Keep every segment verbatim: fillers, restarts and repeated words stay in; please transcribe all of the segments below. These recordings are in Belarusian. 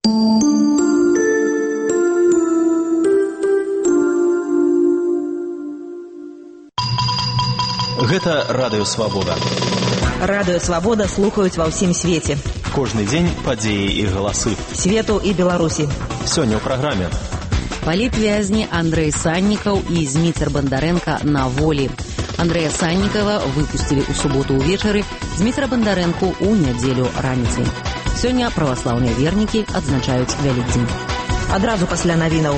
Гэта радыё Свабода. Радыё Свабода слухаюць ва ўсім свеце. Кожны дзень падзеі і галасы свету і Беларусі. Сёння ў праграме. Палітвязні Андрэй Саннікаў і Зміцер Бандарэнка на волі. Андрэя Саннікава выпусцілі ў суботу ўвечары, Зміцера Бандарэнку ў нядзелю раніцай. Сёння праваслаўныя вернікі адзначаюць Вялікдзень. Адразу пасля навінаў.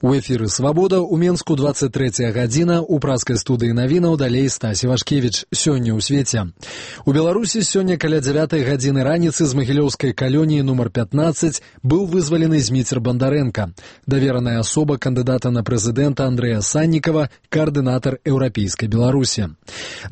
У эфіры «Свабода» у Менску двадцать третья гадзіна, у праскай студыі навінаў далей Стасі Вашкевіч. Сёння ў свеце. У Беларусі сёння каля дзявятай гадзіны раніцы з магілёўскай калоніі нумар пятнадцать быў вызвалены Зміцер Бандарэнка, давераная асоба кандыдата на прэзідэнта Андрэя Саннікава, каардынатар еўрапейскай Беларусі.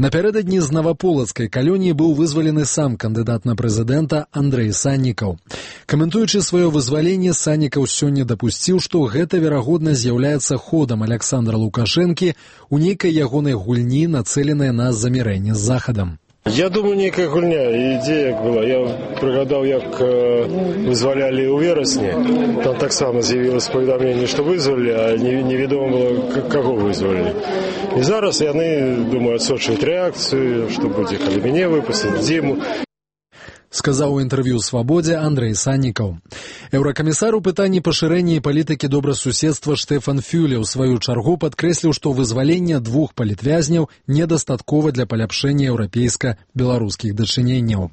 Напярэдадні з наваполацкай калоніі быў вызвалены сам кандыдат на прэзідэнта Андрэй Саннікаў. Каментуючы сваё вызваленне, Саннікаў сёння дапусціў, што гэта верагодна з'яўляецца ходам Александра Лукашэнкі у нейкай ягонай гульні, нацэленай на замірэнне з Захадам. Я думаю, нейкая гульня, ідзея як была. Я прыгадаў, як э, вызвалялі ў верасні. Там таксама з'явілася паведамленне, што вызвалі, а невядома было, каго вызвалі. І зараз яны, думаю, адсочваюць рэакцыю, што будзе, калі мяне выпусцяць, дзіму. Сказаў у інтэрв'ю «Свабодзе» Андрэй Саннікаў. Еўракамісар у пытанні пашырэння і палітыкі добрасуседства Штэфан Фюле ў сваю чаргу падкрэсліў, што вызваленне двух палітвязняў недастаткова для паляпшэння еўрапейска-беларускіх дачыненняў.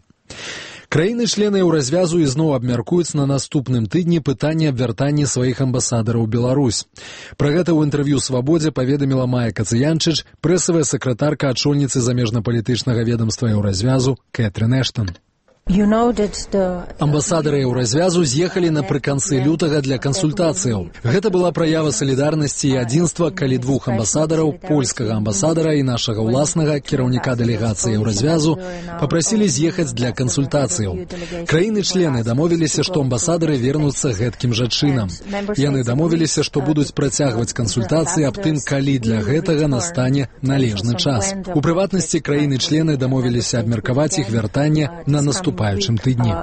Краіны-члены еўразвязу ізноў абмяркуюць на наступным тыдні пытанне абвяртання сваіх амбасадараў у Беларусь. Пра гэта ў інтэрв'ю «Свабодзе» паведаміла Майя Кацыянчыч, прэсавая сакратарка ачольніцы замежнапалітычнага ведамства еўразвязу Кэтрын Эштон. Амбасадары еўразвязу з'ехалі напрыканцы лютага для кансультацыяў. Гэта была праява салідарнасці і адзінства, калі двух амбасадараў, польскага амбасадара і нашага ўласнага кіраўніка дэлегацыі еўразвязу, папрасілі з'ехаць для кансультацыяў. Краіны-члены дамовіліся, што амбасадары вернуцца гэткім жа чынам. Яны дамовіліся, што будуць працягваць кансультацыі аб тым, калі для гэтага настане належны час. У прыватнасці, краіны-члены дамовіліся абмеркаваць іх вяртанне на наступным наступаючым тыдні.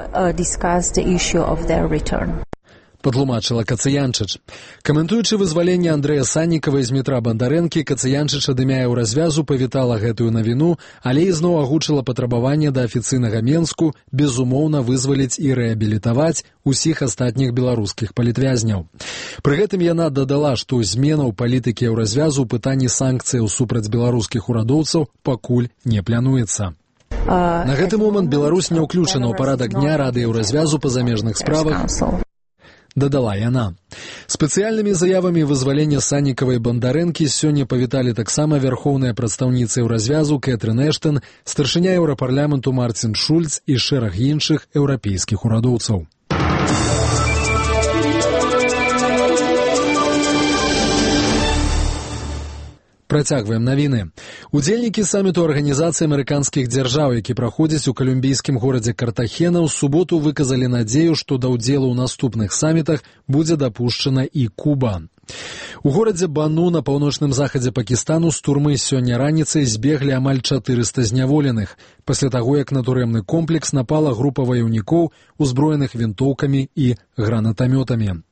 Падлумачыла Кацыянчыч. Каментуючы вызваленне Андрэя Саннікава і Змітра Бандарэнкі, Кацыянчыч ад імя еўразвязу павітала гэтую навіну, але ізноў агучыла патрабаванне да афіцыйнага Менску безумоўна вызваліць і рэабілітаваць усіх астатніх беларускіх палітвязняў. Пры гэтым яна дадала, што змена ў палітыкі еўразвязу ў пытанні санкцыяў супраць беларускіх урадоўцаў пакуль не плануецца. На гэты момант Беларусь не ўключана ў парадак дня Рады еўразвязу па замежных справах, дадала яна. Спецыяльнымі заявамі вызвалення Саннікава і Бандарэнкі сёння павіталі таксама вярхоўная прадстаўніца еўразвязу Кэтрын Эштон, старшыня еўрапарламенту Марцін Шульц і шэраг іншых еўрапейскіх урадоўцаў. Працягваем навіны. Удзельнікі саміту Арганізацыі амерыканскіх дзяржаў, які праходзіць у калумбійскім горадзе Картахена, ў суботу выказалі надзею, што да ўдзелу ў наступных самітах будзе дапушчана і Куба. У горадзе Бану на паўночным захадзе Пакістану з турмы сёння раніцай збеглі амаль чатырыста зняволеных, пасля таго, як на турэмны комплекс напала група ваяўнікоў, узброеных вінтоўкамі і гранатамётамі.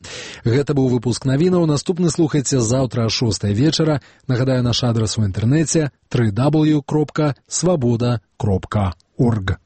Гэта быў выпуск навінаў. Наступны слухайце заўтра о шостай вечара. Нагадаю, наш адрас у інтэрнэце дабл ю дабл ю дабл ю кропка свабода кропка орг.